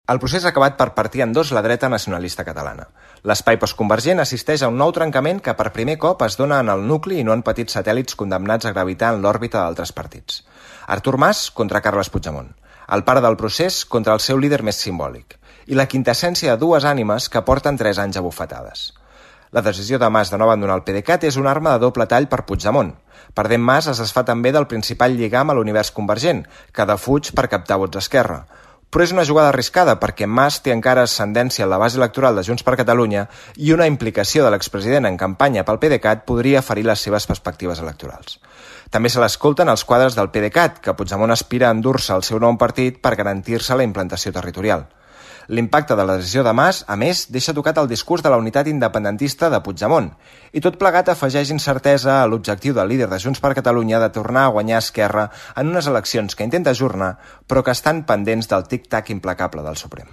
El procés ha acabat per partir en dos la dreta nacionalista catalana. L'espai postconvergent assisteix a un nou trencament que per primer cop es dona en el nucli i no en petits satèl·lits condemnats a gravitar en l'òrbita d'altres partits. Artur Mas contra Carles Puigdemont, el pare del procés contra el seu líder més simbòlic, i la quintessència de dues ànimes que porten 3 anys a bufetades. La decisió de Mas de no abandonar el PDeCAT és una arma de doble tall per Puigdemont. Perdent Mas es desfà també del principal lligam a l'univers convergent, que defuig per captar vots d'Esquerra. Però és una jugada arriscada perquè Mas té encara ascendència en la base electoral de Junts per Catalunya i una implicació de l'expresident en campanya pel PDeCAT podria ferir les seves perspectives electorals. També se l'escolten els quadres del PDeCAT, que Puigdemont aspira a endur-se al seu nou partit per garantir-se la implantació territorial. L'impacte de la decisió de Mas, a més, deixa tocat el discurs de la unitat independentista de Puigdemont, i tot plegat afegeix incertesa a l'objectiu del líder de Junts per Catalunya de tornar a guanyar Esquerra en unes eleccions que intenta ajornar, però que estan pendents del tic-tac implacable del Suprem.